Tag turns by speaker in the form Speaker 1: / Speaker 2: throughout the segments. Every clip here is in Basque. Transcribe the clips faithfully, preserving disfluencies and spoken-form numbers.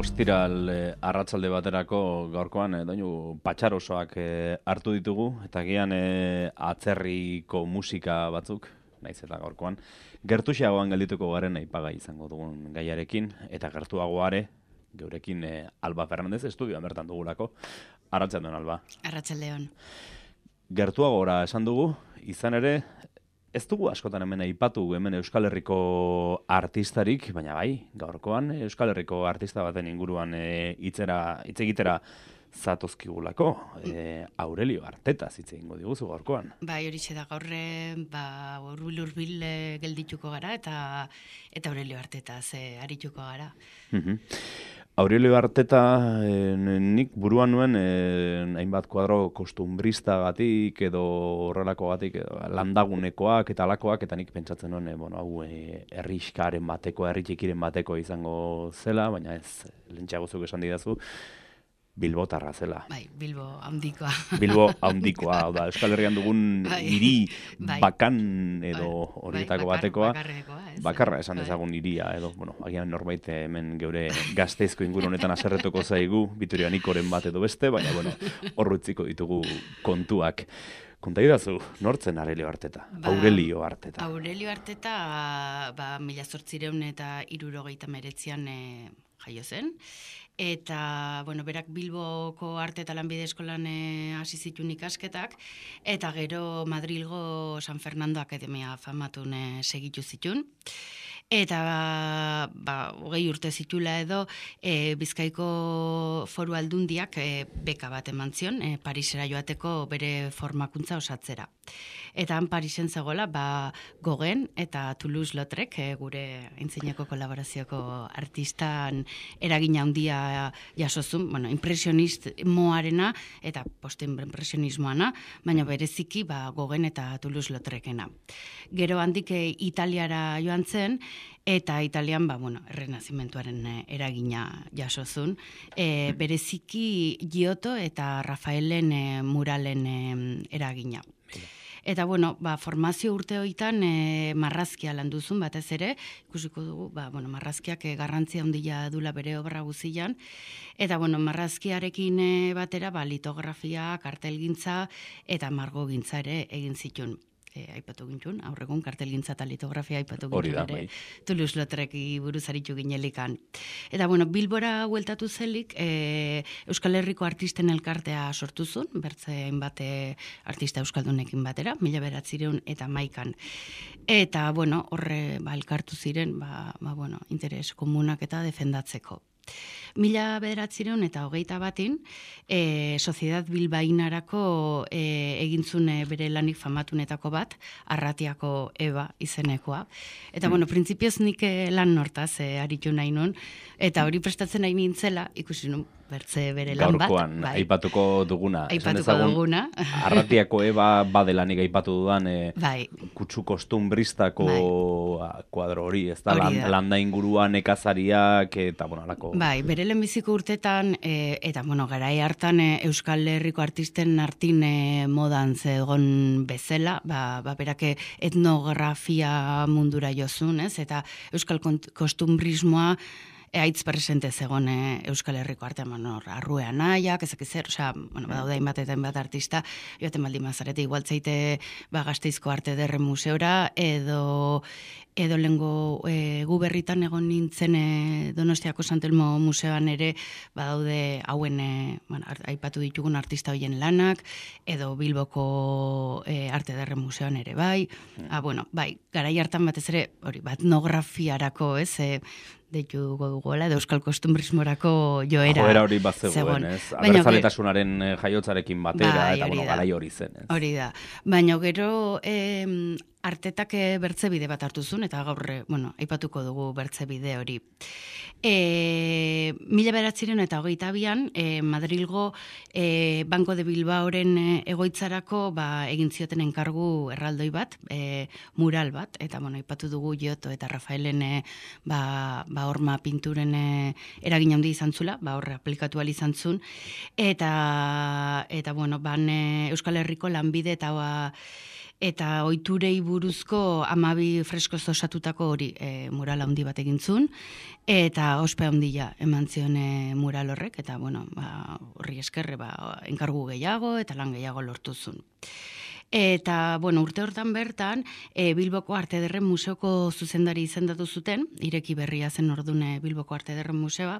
Speaker 1: ostiral eh, arratsalde baterako gaurkoan eh, doinu patxarosoak eh, hartu ditugu eta gian eh, atzerriko musika batzuk, naiz eta gaurkoan gertuxeagoan geldituko garen aipagai izango dugun gaiarekin eta gertuagoare geurekin eh, Alba Fernandez estudioan bertan dugulako. Arratsaldeon Alba.
Speaker 2: Arratsaldeon.
Speaker 1: Gertuagora esan dugu, izan ere ez dugu askotan hemen aipatu hemen Euskal Herriko artistarik, baina bai, gaurkoan Euskal Herriko artista baten inguruan hitzera hitz egitera zatozkigulako. E, Aurelio Arteta hitz egingo diguzu gaurkoan.
Speaker 2: Bai, horixe da gaur ba hurbil hurbil geldituko gara eta eta Aurelio Arteta ze arituko gara.
Speaker 1: Mhm. Aurelio Arteta eh, nik buruan nuen eh, hainbat kuadro kostumbristagatik edo horrelakogatik edo landagunekoak eta alakoak eta nik pentsatzen nuen eh, bueno, hau eh, herrixkaren bateko, herri txikiren bateko izango zela, baina ez lentsago zuk esan didazu Bilbotarra zela.
Speaker 2: Bai, Bilbo handikoa.
Speaker 1: Bilbo handikoa, hau da, Euskal Herrian dugun
Speaker 2: bai.
Speaker 1: hiri
Speaker 2: bai.
Speaker 1: bakan edo horietako
Speaker 2: bai,
Speaker 1: batekoa.
Speaker 2: ez,
Speaker 1: Bakarra esan
Speaker 2: bai.
Speaker 1: dezagun hiria edo, bueno, agian norbait hemen geure Gasteizko inguru honetan haserretuko zaigu, Vitoria Nikoren bat edo beste, baina bueno, hor utziko ditugu kontuak. Konta idazu, nortzen Aurelio Arteta?
Speaker 2: Ba,
Speaker 1: Aurelio Arteta.
Speaker 2: Aurelio Arteta, ba, mila zortzireun eta hirurogeita hemeretzian e, jaio zen. Eta, bueno, berak Bilboko arte eta lanbide eskolan e, hasi zituen ikasketak, eta gero Madrilgo San Fernando Akademia famatun e, segitu zituen. Eta, ba, hogei urte zitula edo, e, Bizkaiko Foru Aldundiak e, beka bat eman zion, e, Parisera joateko bere formakuntza osatzera. Eta han Parisen zegoela, ba, Gogen eta Toulouse-Lautrec, e, gure aintzineko kolaborazioko artistan eragina handia jasozun, bueno, impresionismoarena eta post-impresionismoana, baina bereziki ba, Gogen eta Toulouse-Lautrecena. Gero handik e, Italiara joan zen, eta Italian, ba, bueno, errenazimentuaren eragina jasozun. E, bereziki Giotto eta Rafaelen e, muralen e, eragina. Eta, bueno, ba, formazio urte hoitan e, marrazkia landuzun batez ere, ikusiko dugu, ba, bueno, marrazkiak e, garrantzia handia dula bere obra guzian, eta, bueno, marrazkiarekin e, batera, ba, litografia, kartelgintza eta margogintza ere egin zituen. E, aipatu gintun, aurregun kartelgintza eta litografia aipatu gintun ere, Toulouse-Lautrec buruz aritu ginelikan. Eta, bueno, Bilbora hueltatu zelik, e, Euskal Herriko artisten elkartea sortu zuen, bertze hainbat artista euskaldunekin batera, mila beratzireun eta maikan. Eta, bueno, horre, ba, elkartu ziren, ba, ba, bueno, interes komunak eta defendatzeko. Mila bederatzireun eta hogeita batin, e, Sociedad Bilbainarako e, egintzune bere lanik famatunetako bat, Arratiako Eba izenekoa. Eta, mm. bueno, printzipioz nik lan nortaz e, aritu nahi nun, eta hori prestatzen nahi nintzela, ikusi nun, bertze bere lan bat.
Speaker 1: Gaurkoan, bai. aipatuko duguna.
Speaker 2: Aipatuko duguna.
Speaker 1: Arratiako Eba badelanik aipatu dudan, e,
Speaker 2: bai.
Speaker 1: kutsu kostumbristako
Speaker 2: bai.
Speaker 1: kuadro hori, ez da, land, landa inguruan ekazariak, eta, bueno, alako...
Speaker 2: Bai, bere lehenbiziko urtetan, e, eta, bueno, garai hartan e, Euskal Herriko artisten artin e, modan zegoen bezala, ba, ba berake etnografia mundura jozun, ez? Eta Euskal kostumbrismoa haitz presente zegoen e, Euskal Herriko artean, bueno, arrue anaiak, ezak zer, osea, bueno, badaude hainbat eta hainbat artista, joaten baldin mazarete, igual zeite ba, Gasteizko Arte Ederre Museora, edo edo lengo e, gu berritan egon nintzen e, Donostiako Santelmo Museoan ere badaude hauen e, bueno, aipatu ditugun artista hoien lanak, edo Bilboko e, Arte Ederre Museoan ere bai, ah, bueno, bai, garai hartan batez ere, hori, bat etnografiarako, ez, e, deitu duguela, edo Euskal Kostumbrismorako joera.
Speaker 1: Joera hori bat zegoen, ez? Abertzaletasunaren jaiotzarekin batera, bai, eta bueno, garai hori zen, ez?
Speaker 2: Hori da. Baina gero eh, Artetak bertzebide bat hartu zuen, eta gaur, bueno, aipatuko dugu bertzebide hori. E, mila beratziren eta hogeita bian, e, Madrilgo e, Banco de Bilbaoren egoitzarako ba, egin zioten enkargu erraldoi bat, e, mural bat, eta bueno, aipatu dugu Giotto eta Rafaelen e, ba, ba horma pinturen e, eragin handi izan zula, ba horre aplikatu ahal izan zuen, eta, eta bueno, ban e, Euskal Herriko lanbide eta ba, eta ohiturei buruzko hamabi freskoz osatutako hori e, mural handi bat egintzun, eta ospe handia eman zion e, mural horrek, eta bueno, ba, horri eskerre ba, enkargu gehiago eta lan gehiago lortuzun. Eta, bueno, urte hortan bertan, e, Bilboko Arte Ederren Museoko zuzendari izendatu zuten, ireki berria zen ordune Bilboko Arte Ederren Museoa,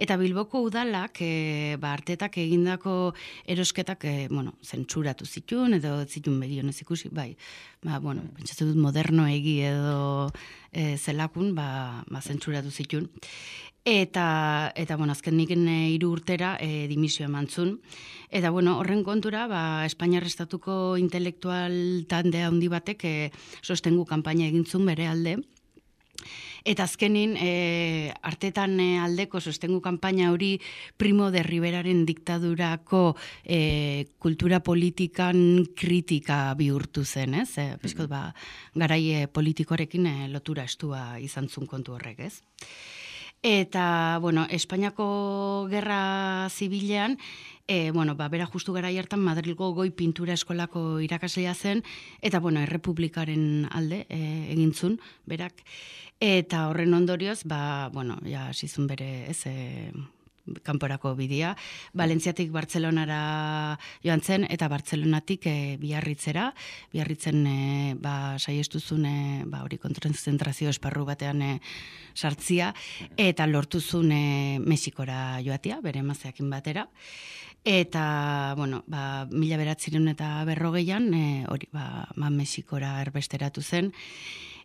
Speaker 2: eta Bilboko udalak, e, ba, artetak egindako erosketak, e, bueno, zentsuratu zituen, edo zituen begionez ikusi, bai, ba, bueno, pentsatu dut moderno egi edo e, zelakun, ba, ba, zentsuratu zituen. Eta, eta bueno, azken nik hiru urtera e, dimisio emantzun. Eta, bueno, horren kontura, ba, Espainiar Estatuko intelektual tande handi batek e, sostengu kanpaina egintzun bere alde. Eta azkenin, e, artetan aldeko sostengu kanpaina hori Primo de Riveraren diktadurako e, kultura politikan kritika bihurtu zen, ez? E, Piskot, ba, garai politikoarekin e, lotura estua izan zun kontu horrek, ez? Eta, bueno, Espainiako Gerra Zibilean, e, bueno, ba, bera justu gara hartan Madrilgo Goi Pintura Eskolako irakaslea zen, eta, bueno, Errepublikaren alde e, egintzun, berak. Eta horren ondorioz, ba, bueno, ja, sizun bere, ez, e, kanporako bidea, Valentziatik Bartzelonara joan zen, eta Bartzelonatik e, Biarritzera, Biarritzen e, ba, saiestuzun e, ba, hori kontzentrazio esparru batean e, sartzia, eta lortuzun e, Mexikora joatia, bere emazteakin batera. Eta, bueno, ba, mila beratzireun eta berrogeian, e, hori, ba, ba, Mexikora erbesteratu zen,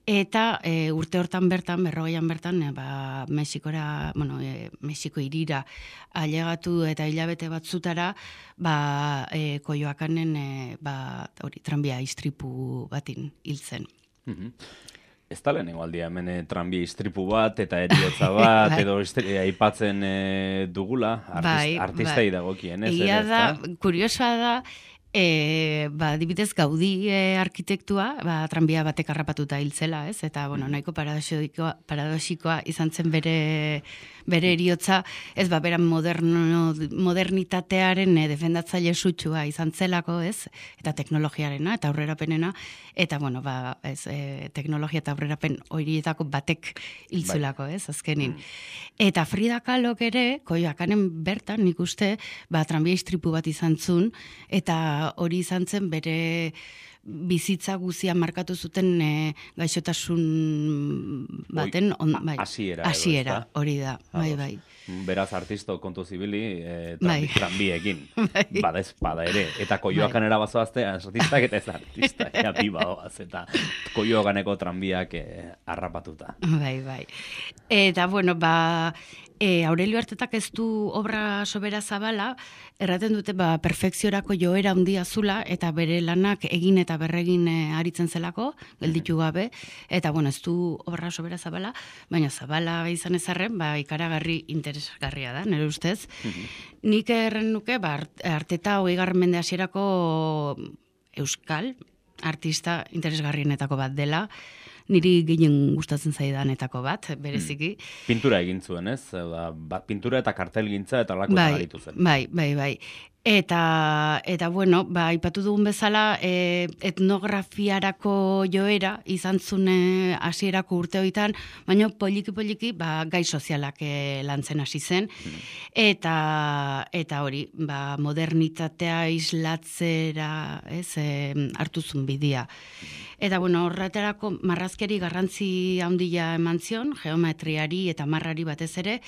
Speaker 2: eta e, urte hortan bertan, berrogeian bertan, e, ba, Mexikora, bueno, e, Mexiko irira ailegatu eta hilabete batzutara, ba, e, Koioakanen, e, ba, hori, tranbia istripu batin hil zen.
Speaker 1: Mm-hmm. Ez da lehenengo aldia hemen e, tranbia istripu bat eta eriotza bat, edo e, aipatzen e, dugula, artist, bai, artistei bai. Dagokien, ez?
Speaker 2: Egia da, kuriosoa da, E, ba, dibidez Gaudi e, arkitektua, ba, tranbia batek harrapatuta hiltzela, ez? Eta, bueno, nahiko paradoxikoa, paradoxikoa izan zen bere, bere eriotza, ez, ba, beran moderno, modernitatearen e, defendatzaile sutsua izan zelako, ez? Eta teknologiarena, eta aurrerapenena, eta, bueno, ba, ez, e, teknologia eta aurrerapen horietako batek hiltzulako, ez? Azkenin. Eta Frida Kahlok ere, Koioakanen bertan, nik uste, ba, tranbia istripu bat izan zun, eta hori izan zen bere bizitza guzia markatu zuten e, gaixotasun baten on, bai,
Speaker 1: hasiera
Speaker 2: hasiera hori da, bai, bai.
Speaker 1: Beraz artisto kontu zibili e, bai. Tranbiekin, bai. Badez, bada ere, eta Koioakan bai. Erabazoazte artistak eta ez artista, ea bi badoaz, eta Koioakaneko tranbiak e, harrapatuta.
Speaker 2: Bai, bai. Eta, bueno, ba, e, Aurelio Artetak ez du obra sobera zabala, erraten dute, ba, perfekziorako joera handia zula, eta bere lanak egin eta berregin e, aritzen zelako, gelditu gabe, eta, bueno, ez du obra sobera zabala, baina zabala izan ezarren, ba, ikaragarri interesgarria da, nire ustez. Nik erren nuke, ba, Arteta hogeigarren mende hasierako euskal artista interesgarrienetako bat dela, niri gehien gustatzen zaidanetako bat, bereziki.
Speaker 1: Pintura egin zuen, ez? Ba, pintura eta kartelgintza eta lakoetan
Speaker 2: bai,
Speaker 1: aritu zen.
Speaker 2: Bai, bai, bai. Eta, eta bueno, ba, ipatu dugun bezala, e, etnografiarako joera izan zune hasierako urte hoitan, baina poliki-poliki ba, gai sozialak e, lantzen hasi zen, hmm. eta, eta hori, ba, modernitatea islatzera ez, e, hartu zuen bidea. Eta, bueno, horretarako marrazkeri garrantzi handia eman zion, geometriari eta marrari batez ere,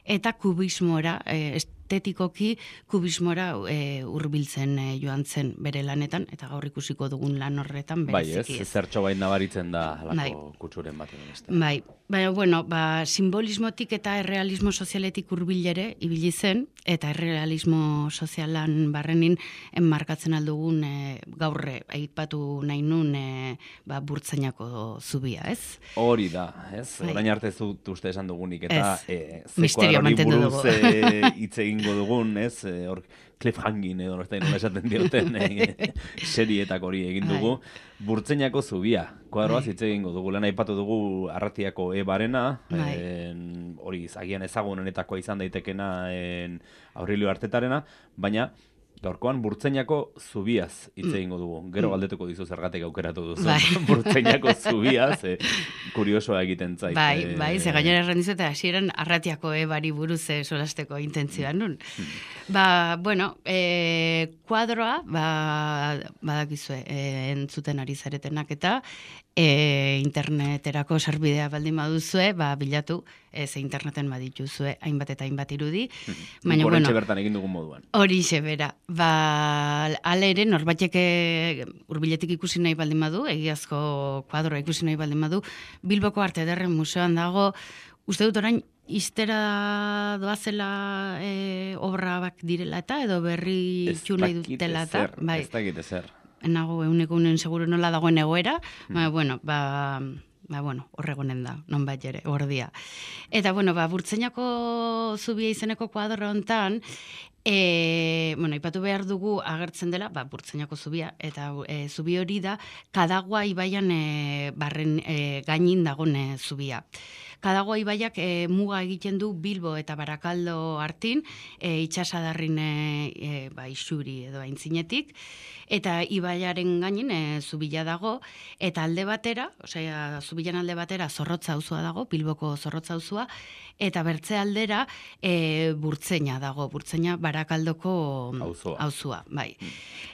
Speaker 2: eta kubismora, e, estetikoki kubismora e, hurbiltzen e, joan zen bere lanetan, eta gaur ikusiko dugun lan horretan bereziki.
Speaker 1: Bai, ez, zertxo bain nabaritzen da halako bai. Kutsuren bat edo beste.
Speaker 2: Bai, baina, bueno, ba, simbolismotik eta errealismo sozialetik hurbilere ibili zen, eta errealismo sozialan barrenin enmarkatzen aldugun e, gaurre aipatu nahi nun e, ba, burtzainako zubia, ez?
Speaker 1: Hori da, ez? Bai. Orain arte zut uste esan dugunik, eta e,
Speaker 2: misterio mantendu dugu.
Speaker 1: Hitz egingo dugun, ez? Hor, cliffhanging edo nortain nola esaten dioten e, serietak hori egin dugu. Burtzainako zubia, kuadroaz hitz egingo dugu. Lehen aipatu dugu Arratiako Ebarena, hori agian ezagunenetakoa izan daitekena en, Aurelio Artetarena, baina Gaurkoan Burtzenako zubiaz hitz egingo dugu. Gero galdetuko dizu zergatik aukeratu duzu.
Speaker 2: Bai.
Speaker 1: Burtzenako zubiaz, e, kuriosoa egiten zait.
Speaker 2: Bai, bai, ze gainera erran dizu, eta hasieran arratiako ebari buruz e, solasteko intentzioa nun. Ba, bueno, e, kuadroa, ba, badakizue, e, entzuten ari zaretenak eta e, interneterako sarbidea baldin baduzue, ba, bilatu, ez interneten badituzue hainbat eta hainbat irudi.
Speaker 1: Baina, bueno, bertan egin dugun moduan.
Speaker 2: Horixe bera. Ba, ale ere, norbaitek hurbiletik ikusi nahi baldin badu, egiazko kuadroa ikusi nahi baldin badu, Bilboko Arte Ederren Museoan dago, uste dut orain, iztera doazela e, obra bak direla eta, edo berri txu nahi dutela eta.
Speaker 1: Bai. Ez dakit ezer.
Speaker 2: Nago, euneko unen seguro nola dagoen egoera, mm. ba, bueno, ba... Ba, bueno, horregonen da, non bat jere, gordia. Eta, bueno, ba, Burtzenako zubia izeneko kuadro hontan, e, bueno, ipatu behar dugu agertzen dela, ba, Burtzenako zubia, eta e, zubi hori da, Kadagua ibaian e, barren e, gainin dagoen e, zubia. Kadagua ibaiak e, muga egiten du Bilbo eta Barakaldo artin, e, itxasadarrin e, e, ba, isuri edo aintzinetik, eta ibaiaren gainin e, zubila dago, eta alde batera, osea, zubilan alde batera Zorrotza auzua dago, Bilboko Zorrotza auzua, eta bertze aldera e, Burtzeina dago, Burtzeina Barakaldoko auzua, bai.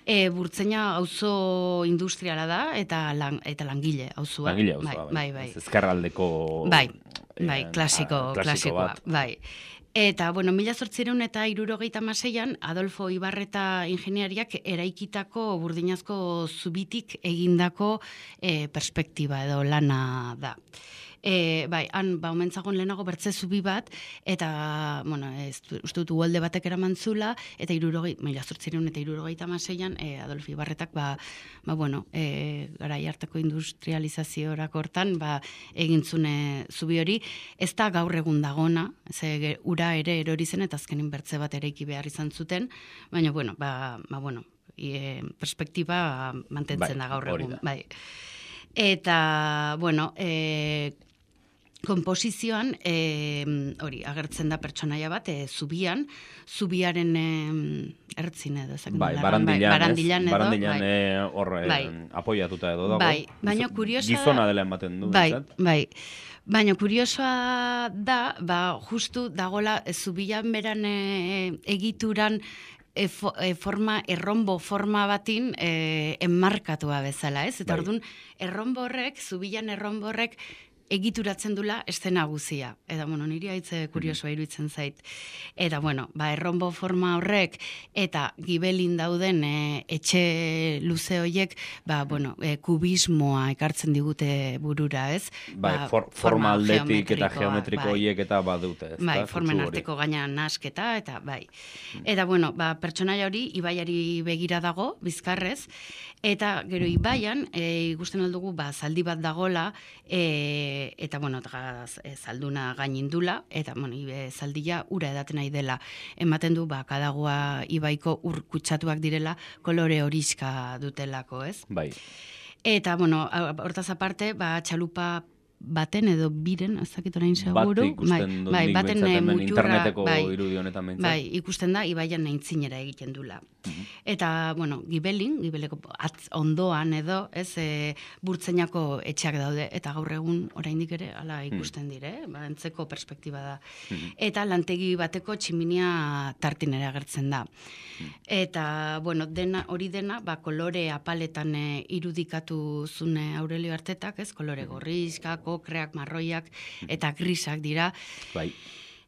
Speaker 2: E, Burtzeina auzo industriala da, eta, lan, eta langile auzua.
Speaker 1: Langile auzua, bai.
Speaker 2: bai, bai.
Speaker 1: Ezkerraldeko...
Speaker 2: Bai, bai, klasiko,
Speaker 1: a,
Speaker 2: klasikoa,
Speaker 1: bat.
Speaker 2: bai. Eta, bueno, mila zortzireun eta hirurogeita hamaseian Adolfo Ibarreta ingeniariak eraikitako burdinazko zubitik egindako e, perspektiba edo lana da. E, bai, han, ba, omentzagon lehenago bertze zubi bat, eta, bueno, ez, uste dut uholde batek eraman zula, eta irurogei, mila zortzireun eta hirurogeita hamaseian, e, Adolfo Ibarretak, ba, ba bueno, e, garai hartako industrializaziorak hortan, ba, egintzune zubi hori, ez da gaur egun dagona, ze ura ere erori zen, eta azkenin bertze bat eraiki behar izan zuten, baina, bueno, ba, ba bueno, e, perspektiba mantentzen da gaur egun, bai. Eta, bueno, e, komposizioan, e, hori, agertzen da pertsonaia bat, e, zubian, zubiaren e, ertzin edo.
Speaker 1: Bai, barandilan,
Speaker 2: barandilan
Speaker 1: edo. Barandilan hor bai. bai. apoiatuta edo dago.
Speaker 2: Bai, baina kuriosa...
Speaker 1: Gizona dela ematen du.
Speaker 2: Bai, zat? bai. Baina kuriosoa da, ba, justu dagola zubian beran e, egituran E, fo, e, forma, errombo forma batin e, enmarkatua bezala, ez? Eta bai. Orduan, errombo horrek, zubilan errombo horrek, egituratzen dula eszena guzia. Eta, bueno, niri haitze kuriosoa iruditzen zait. Eta, bueno, ba, errombo forma horrek, eta gibelin dauden e, etxe luze horiek, ba, bueno, e, kubismoa ekartzen digute burura, ez?
Speaker 1: Bai, ba, for, forma aldetik eta geometriko horiek bai. Eta badute, ez?
Speaker 2: Bai, formen arteko gaina nasketa, eta bai. Eta, bueno, ba, pertsonaia hori, ibaiari begira dago, bizkarrez, eta gero ibaian, e, ikusten aldugu, ba, zaldi bat dagola, e, eta, bueno, e, zalduna gainindula, eta, bueno, ibe, zaldia ura edaten nahi dela. Ematen du, ba, Kadagua ibaiko ur kutsatuak direla, kolore horiska dutelako, ez?
Speaker 1: Bai.
Speaker 2: Eta, bueno, hortaz aparte, ba, txalupa baten edo biren, ez dakit orain seguru.
Speaker 1: Bat ikusten dut
Speaker 2: bai,
Speaker 1: nik
Speaker 2: baten
Speaker 1: hemen
Speaker 2: muturra,
Speaker 1: interneteko
Speaker 2: bai,
Speaker 1: irudi honetan behintzat.
Speaker 2: Bai, ikusten da, ibaian naintzinera egiten dula. Uh-huh. Eta, bueno, gibelin, gibeleko atz ondoan edo, ez, e, Burtzenako etxeak daude, eta gaur egun oraindik ere, ala ikusten dire, eh? Ba, entzeko perspektiba da. Uh-huh. Eta lantegi bateko tximinia tartin ere agertzen da. Uh-huh. Eta, bueno, dena, hori dena, ba, kolore apaletan e, irudikatu zune Aurelio Artetak, ez, kolore gorrizkak, okreak, marroiak eta grisak dira.
Speaker 1: Bai.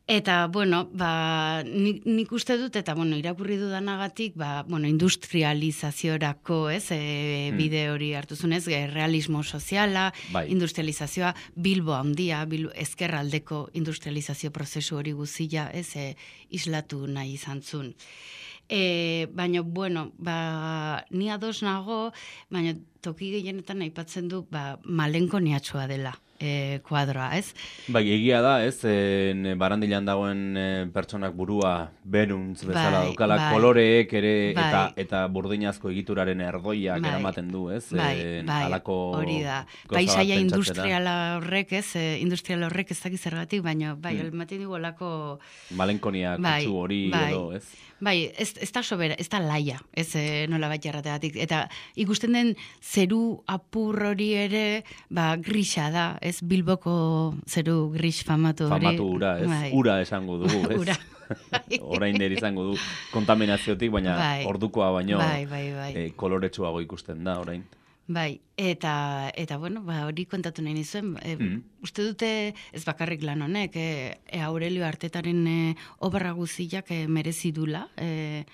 Speaker 2: Eta, bueno, ba, nik, nik uste dut, eta, bueno, irakurri dudanagatik, ba, bueno, industrializaziorako, ez, e, bide hori hartu zunez, e, realismo soziala, bai. Industrializazioa, Bilbo handia, Bilbo, ezkerraldeko industrializazio prozesu hori guzila, ez, e, islatu nahi izan zun. E, baina, bueno, ba, ni ados nago, baina toki gehienetan aipatzen du, ba, malenko niatxoa dela. e, kuadroa, ez?
Speaker 1: Bai, egia da, ez, e, barandilan dagoen e, pertsonak burua beruntz bezala
Speaker 2: bai,
Speaker 1: daukala,
Speaker 2: bai,
Speaker 1: koloreek ere
Speaker 2: bai,
Speaker 1: eta eta burdinazko egituraren erdoiak
Speaker 2: bai,
Speaker 1: eramaten du, ez?
Speaker 2: Bai,
Speaker 1: e,
Speaker 2: bai,
Speaker 1: halako
Speaker 2: hori da.
Speaker 1: gauza bat
Speaker 2: Paisaia
Speaker 1: pentsatzera.
Speaker 2: industriala horrek, ez, e, industrial horrek ez dakiz zergatik, baina bai,
Speaker 1: Hmm.
Speaker 2: ematen dugu olako...
Speaker 1: Malenkonia
Speaker 2: Bai,
Speaker 1: kutsu hori
Speaker 2: bai.
Speaker 1: edo, ez?
Speaker 2: Bai, ez, ez da sobera, ez da laia, ez e, nola bat jarrategatik. Eta ikusten den zeru apur hori ere, ba, grisa da, ez Bilboko zeru gris famatu hori.
Speaker 1: Famatu ura, ez?
Speaker 2: Bai.
Speaker 1: Ura esango dugu, ez?
Speaker 2: Ura.
Speaker 1: Orain ere izango du kontaminaziotik, baina
Speaker 2: Bai.
Speaker 1: ordukoa baino
Speaker 2: Bai, bai, bai.
Speaker 1: e, koloretsuago ikusten da orain.
Speaker 2: Bai, eta, eta bueno, ba, hori kontatu nahi nizuen, e,
Speaker 1: Mm.
Speaker 2: uste dute ez bakarrik lan honek, e, e, Aurelio Artetaren e, obra guziak e, merezi dula, e,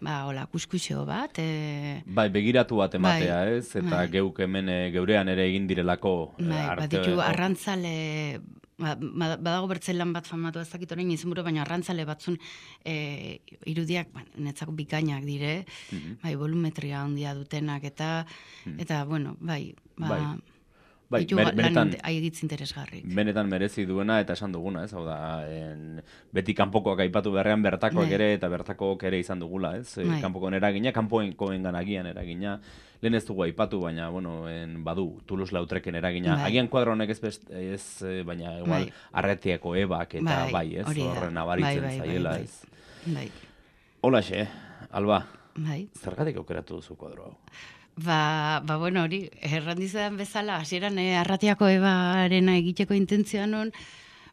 Speaker 2: ba, hola, kuskuxeo bat, e,
Speaker 1: Bai, begiratu bat ematea,
Speaker 2: Bai,
Speaker 1: ez? Eta
Speaker 2: bai.
Speaker 1: geuk hemen e, geurean ere egin direlako e,
Speaker 2: bai,
Speaker 1: arte...
Speaker 2: baditu arrantzale, ba, ba- badago bertzelan bat famatu ez dakit orain izenburu, baina arrantzale batzun e, irudiak, ba, netzako bikainak dire,
Speaker 1: Mhm.
Speaker 2: bai, volumetria handia dutenak, eta,
Speaker 1: Mhm.
Speaker 2: eta bueno, bai, ba,
Speaker 1: Bai. Bai,
Speaker 2: ditu
Speaker 1: ber-
Speaker 2: lan
Speaker 1: benetan-
Speaker 2: inte- aigitz interesgarrik.
Speaker 1: benetan merezi duena eta esan duguna, ez? Hau da, en, beti kanpokoak aipatu beharrean bertakoak
Speaker 2: Bai.
Speaker 1: ere eta bertakoak ere izan dugula, ez? E,
Speaker 2: Bai.
Speaker 1: kanpokoen eragina, kanpoenkoengan agian eragina. Lehen ez dugu aipatu, baina, bueno, en, badu, Toulouse-Lautreken eragina.
Speaker 2: Bai.
Speaker 1: Agian kuadro honek ez, best, ez eh, baina igual,
Speaker 2: Bai.
Speaker 1: Arretiako ebak eta
Speaker 2: Bai,
Speaker 1: bai, ez?
Speaker 2: hori da.
Speaker 1: Horren nabaritzen
Speaker 2: Bai, bai, bai,
Speaker 1: zaiela,
Speaker 2: bai.
Speaker 1: ez?
Speaker 2: Bai,
Speaker 1: Holaxe, Alba,
Speaker 2: bai.
Speaker 1: zergatik aukeratu duzu kuadro hau?
Speaker 2: Ba, ba bueno, hori, errandizean bezala, hasieran eh, arratiako ebarena egiteko intentzioa nun,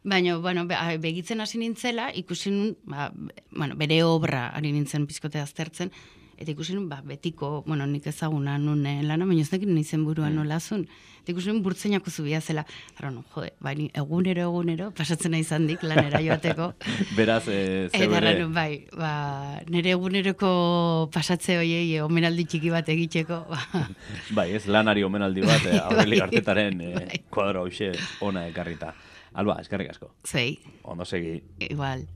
Speaker 2: baina, bueno, be, a- begitzen hasi nintzela, ikusi nun, ba, bueno, bere obra ari nintzen pizkote aztertzen, eta ikusi nun, ba, betiko, bueno, nik ezaguna nun eh, lana, baina ez nekit nizen buruan
Speaker 1: Mm.
Speaker 2: nolazun. Eta ikusi nun burtzeinako zubia zela, ara, no, jode, baina egunero, egunero, pasatzen nahi zandik lanera joateko.
Speaker 1: Beraz, e,
Speaker 2: Eta
Speaker 1: zebere,
Speaker 2: erran, bai, ba, nire eguneroko pasatze hoiei eh, omenaldi txiki bat egiteko, ba,
Speaker 1: bai, ez lanari omenaldi bat, e, Aureli
Speaker 2: Bai,
Speaker 1: Artetaren e,
Speaker 2: bai.
Speaker 1: kuadro hauxe ona ekarrita. Alba, eskerrik asko.
Speaker 2: zuei,
Speaker 1: Ondo segi.
Speaker 2: igual.